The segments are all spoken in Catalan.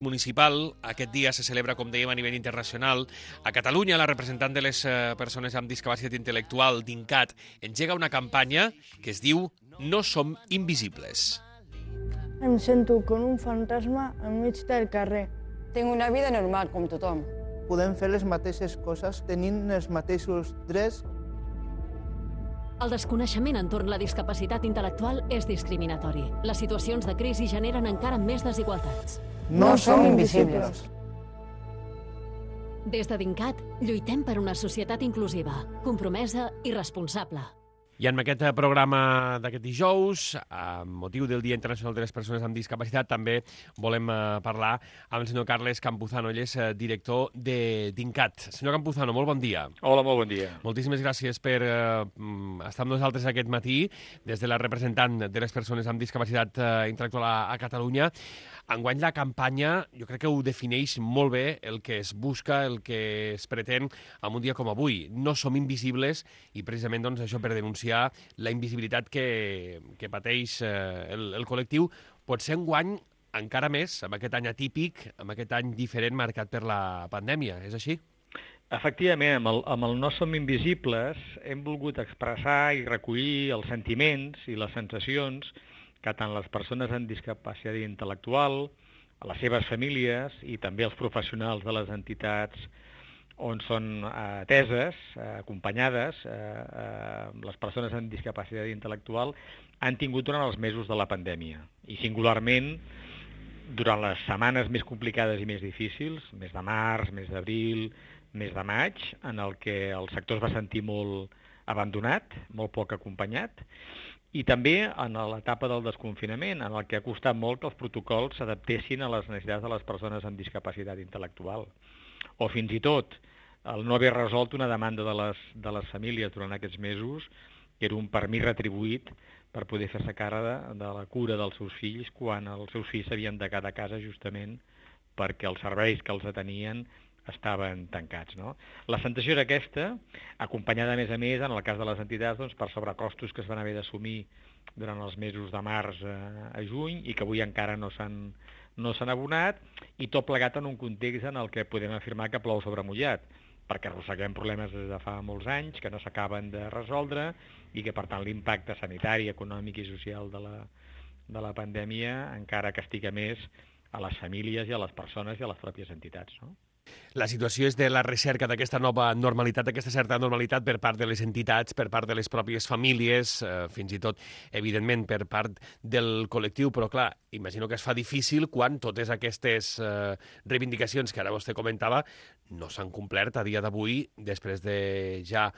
municipal. Aquest dia se celebra, com dèiem, a nivell internacional. A Catalunya, la representant de les persones amb discapacitat intel·lectual, DINCAT, engega una campanya que es diu No som invisibles. Em sento com un fantasma enmig del carrer. Tinc una vida normal, com tothom. Podem fer les mateixes coses tenint els mateixos drets. El desconeixement entorn la discapacitat intel·lectual és discriminatori. Les situacions de crisi generen encara més desigualtats. No som invisibles. Des de DINCAT, lluitem per una societat inclusiva, compromesa i responsable. I en aquest programa d'aquest dijous, amb motiu del Dia Internacional de les Persones amb Discapacitat, també volem parlar amb el senyor Carles Campuzano. Ell és director de DINCAT. Senyor Campuzano, molt bon dia. Hola, molt bon dia. Moltíssimes gràcies per estar amb nosaltres aquest matí, des de la representant de les persones amb discapacitat intel·lectual a Catalunya. Enguany la campanya, jo crec que ho defineix molt bé el que es busca, el que es pretén en un dia com avui. No som invisibles i precisament doncs, això per denunciar la invisibilitat que pateix el col·lectiu. Potser enguany encara més, amb aquest any atípic, amb aquest any diferent marcat per la pandèmia. És així? Efectivament, amb el No som invisibles hem volgut expressar i recollir els sentiments i les sensacions que tant les persones amb discapacitat intel·lectual, les seves famílies i també els professionals de les entitats on són ateses, acompanyades, les persones amb discapacitat intel·lectual han tingut durant els mesos de la pandèmia. I singularment, durant les setmanes més complicades i més difícils, mes de març, mes d'abril, mes de maig, en el que el sector es va sentir molt abandonat, molt poc acompanyat, i també en l'etapa del desconfinament, en el que ha costat molt que els protocols s'adaptessin a les necessitats de les persones amb discapacitat intel·lectual. O fins i tot el no haver resolt una demanda de les famílies durant aquests mesos, que era un permís retribuït per poder fer-se càrrec de la cura dels seus fills quan els seus fills s'havien de quedar a casa justament perquè els serveis que els atenien estaven tancats. No? La sensació era aquesta, acompanyada a més, en el cas de les entitats, doncs, per sobrecostos que es van haver d'assumir durant els mesos de març a juny i que avui encara no s'han abonat, i tot plegat en un context en el que podem afirmar que plou sobre mullat, perquè arrosseguem problemes des de fa molts anys que no s'acaben de resoldre i que, per tant, l'impacte sanitari, econòmic i social de la pandèmia encara castiga més a les famílies i a les persones i a les pròpies entitats, no? La situació és de la recerca d'aquesta nova normalitat, d'aquesta certa normalitat per part de les entitats, per part de les pròpies famílies, fins i tot, evidentment, per part del col·lectiu, però clar, imagino que es fa difícil quan totes aquestes reivindicacions que ara vostè comentava no s'han complert a dia d'avui, després de ja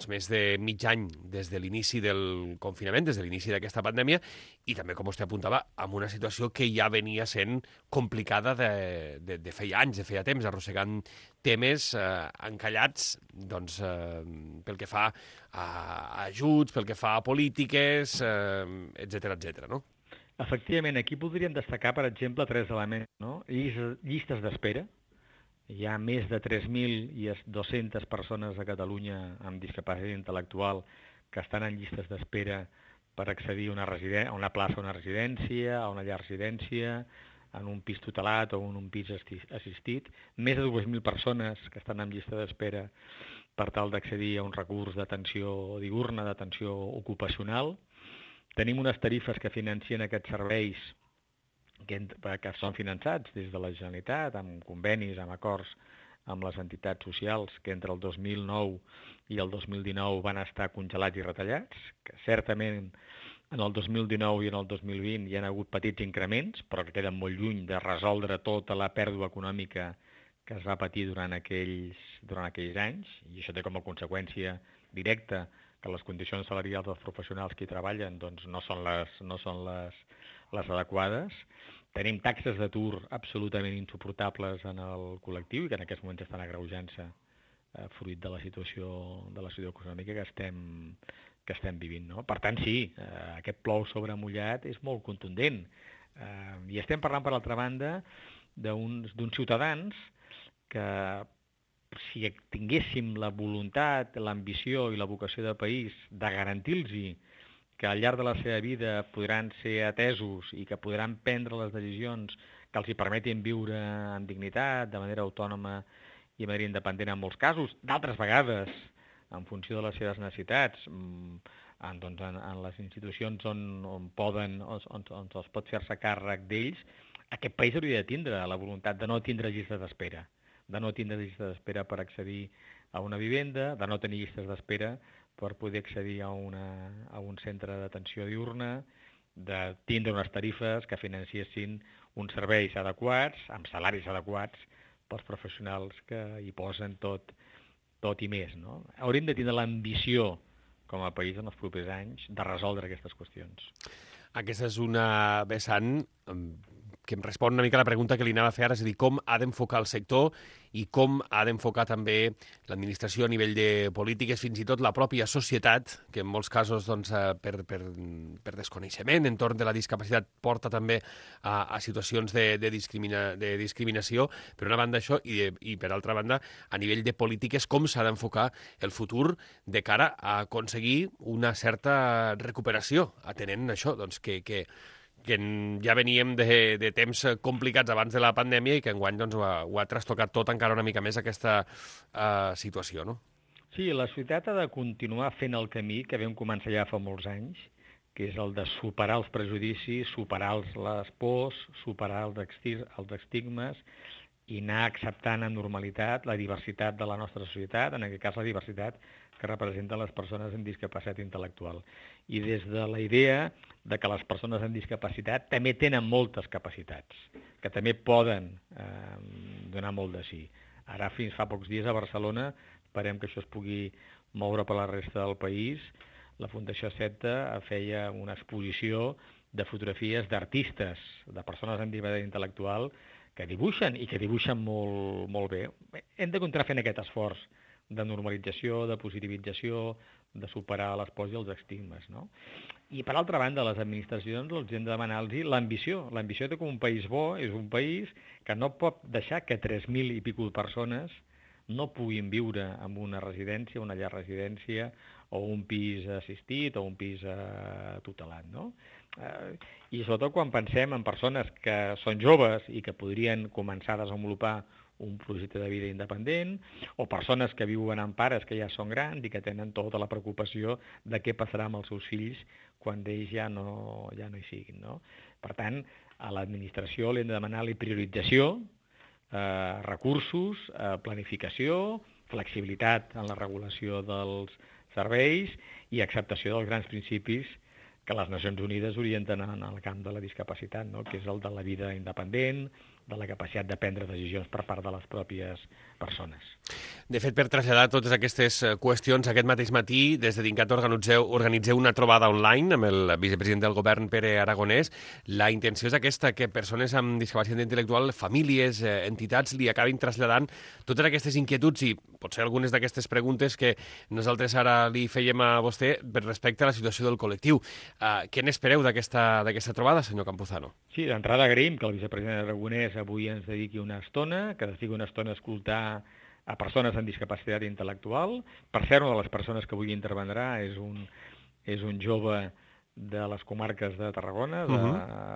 més de mig any des de l'inici del confinament, des de l'inici d'aquesta pandèmia, i també, com vostè apuntava, amb una situació que ja venia sent complicada de feia anys, de feia temps, arrossegant temes encallats pel que fa a ajuts, pel que fa a polítiques, etcètera, no? Efectivament, aquí podríem destacar, per exemple, 3 elements, no? Llistes d'espera. Hi ha més de 3.200 persones a Catalunya amb discapacitat intel·lectual que estan en llistes d'espera per accedir a una plaça a una residència, a una llar residència, en un pis tutelat o en un pis assistit. Més de 2.000 persones que estan en llista d'espera per tal d'accedir a un recurs d'atenció diürna, d'atenció ocupacional. Tenim unes tarifes que financien aquests serveis que són finançats des de la Generalitat, amb convenis, amb acords amb les entitats socials, que entre el 2009 i el 2019 van estar congelats i retallats, que certament en el 2019 i en el 2020 hi ha hagut petits increments, però que queden molt lluny de resoldre tota la pèrdua econòmica que es va patir durant aquells anys, i això té com a conseqüència directa que les condicions salarials dels professionals que hi treballen doncs, no són les adequades. Tenim taxes d'atur absolutament insuportables en el col·lectiu i que en aquests moments estan agreujant-se fruit de la situació econòmica que estem vivint. No? Per tant, sí, aquest plou sobre mullat és molt contundent. I estem parlant, per l'altra banda, d'uns ciutadans que, si tinguéssim la voluntat, l'ambició i la vocació de país de garantir-los que al llarg de la seva vida podran ser atesos i que podran prendre les decisions que els hi permetin viure amb dignitat, de manera autònoma i de manera independent en molts casos, d'altres vegades, en funció de les seves necessitats, en les institucions on es pot fer-se càrrec d'ells, aquest país hauria de tindre la voluntat de no tindre llistes d'espera, per accedir a una vivenda, de no tenir llistes d'espera per poder accedir a un centre d'atenció diurna, de tindre unes tarifes que financiessin uns serveis adequats, amb salaris adequats, pels professionals que hi posen tot i més. No? Hauríem de tindre l'ambició, com a país, en els propers anys, de resoldre aquestes qüestions. Aquesta és una vessant que em respon una mica a la pregunta que li anava a fer ara, és a dir, com ha d'enfocar el sector i com ha d'enfocar també l'administració a nivell de polítiques, fins i tot la pròpia societat, que en molts casos doncs, per desconeixement entorn de la discapacitat porta també a situacions de discriminació, per una banda això, i per altra banda, a nivell de polítiques, com s'ha d'enfocar el futur de cara a aconseguir una certa recuperació, atenent això, doncs, que ja veníem de temps complicats abans de la pandèmia i que enguany doncs, ho ha trastocat tot encara una mica més aquesta situació, no? Sí, la societat ha de continuar fent el camí que vam començar ja fa molts anys, que és el de superar els prejudicis, superar les pors, superar els estigmes i anar acceptant amb normalitat la diversitat de la nostra societat, en aquest cas la diversitat que representen les persones amb discapacitat intel·lectual. I des de la idea de que les persones amb discapacitat també tenen moltes capacitats, que també poden donar molt de si. Ara, fins fa pocs dies a Barcelona, esperem que això es pugui moure per la resta del país, la Fundació CETA feia una exposició de fotografies d'artistes, de persones amb discapacitat intel·lectual, que dibuixen i que dibuixen molt, molt bé. Hem de continuar fent aquest esforç de normalització, de positivització, de superar les pors i els estigmes. No? I, per altra banda, les administracions els hem de demanar-los l'ambició. L'ambició de que un país bo és un país que no pot deixar que 3.000 i escaig persones no puguin viure en una residència, una llar residència, o un pis assistit, o un pis tutelat. No? I sobretot quan pensem en persones que són joves i que podrien començar a desenvolupar un projecte de vida independent, o persones que viuen amb pares que ja són grans i que tenen tota la preocupació de què passarà amb els seus fills quan ells ja no hi siguin. No? Per tant, a l'administració li hem de demanar la priorització, recursos, planificació, flexibilitat en la regulació dels serveis i acceptació dels grans principis que les Nacions Unides orienten en el camp de la discapacitat, no? Que és el de la vida independent, de la capacitat de prendre decisions per part de les pròpies persones. De fet, per traslladar totes aquestes qüestions, aquest mateix matí, des de Dincat organitzeu una trobada online amb el vicepresident del govern, Pere Aragonès. La intenció és aquesta, que persones amb discapacitat intel·lectual, famílies, entitats, li acabin traslladant totes aquestes inquietuds i potser algunes d'aquestes preguntes que nosaltres ara li fèiem a vostè respecte a la situació del col·lectiu. Què n'espereu d'aquesta trobada, senyor Campuzano? Sí, d'entrada agraïm que el vicepresident Aragonès avui ens dediqui una estona, que dediqui una estona a escoltar a persones amb discapacitat intel·lectual. Per cert, una de les persones que avui intervendrà és un jove de les comarques de Tarragona,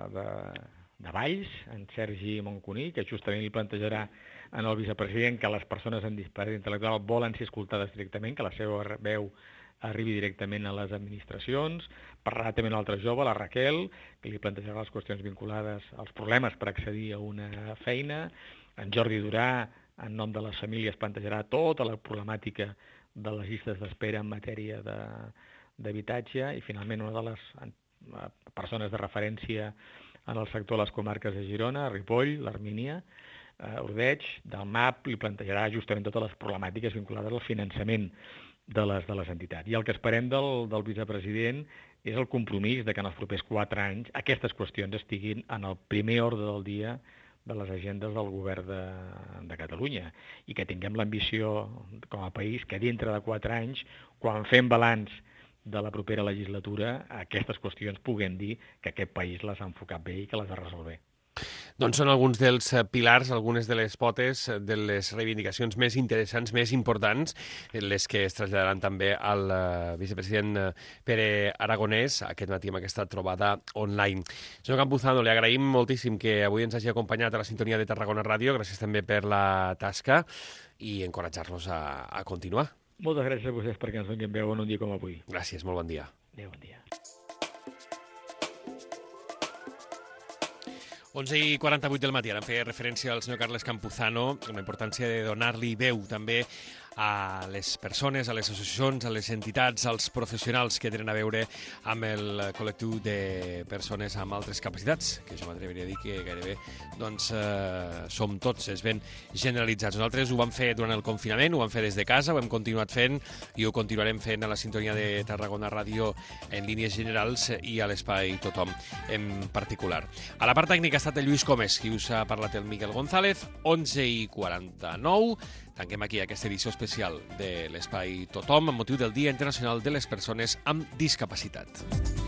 de Valls, en Sergi Moncuní, que justament li plantejarà al vicepresident que les persones amb discapacitat intel·lectual volen ser escoltades directament, que la seva veu arribi directament a les administracions. Parlarà també un altre jove, la Raquel, que li plantejarà les qüestions vinculades als problemes per accedir a una feina. En Jordi Durà, en nom de les famílies, plantejarà tota la problemàtica de les llistes d'espera en matèria d'habitatge. I finalment una de les persones de referència en el sector de les comarques de Girona, Ripoll, l'Armínia, Ordeig, del MAP, li plantejarà justament totes les problemàtiques vinculades al finançament de les entitats. I el que esperem del vicepresident és el compromís de que en els propers 4 anys aquestes qüestions estiguin en el primer ordre del dia de les agendes del govern de Catalunya i que tinguem l'ambició com a país que dintre de 4 anys, quan fem balanç de la propera legislatura, aquestes qüestions puguem dir que aquest país les ha enfocat bé i que les ha resolt bé. Doncs són alguns dels pilars, algunes de les potes de les reivindicacions més interessants, més importants, les que es traslladaran també al vicepresident Pere Aragonès aquest matí amb aquesta trobada online. Senyor Campuzano, li agraïm moltíssim que avui ens hagi acompanyat a la sintonia de Tarragona Ràdio. Gràcies també per la tasca i encoratjar-los a continuar. Moltes gràcies a vostès perquè ens donin veu en un dia com avui. Gràcies, molt bon dia. Adéu, bon dia. 11:48 del matí, ara em feia referència al senyor Carles Campuzano, amb la importància de donar-li veu també a les persones, a les associacions, a les entitats, als professionals que tenen a veure amb el col·lectiu de persones amb altres capacitats, que jo m'atreviria a dir que gairebé som tots, és ben generalitzats. Nosaltres ho vam fer durant el confinament, ho vam fer des de casa, ho hem continuat fent i ho continuarem fent a la sintonia de Tarragona Ràdio en línies generals i a l'Espai Tothom en particular. A la part tècnica ha estat el Lluís Comes, qui us ha parlat el Miquel González. 11:49. Tanquem aquí aquesta edició especial de l'Espai Tothom amb motiu del Dia Internacional de les Persones amb Discapacitat.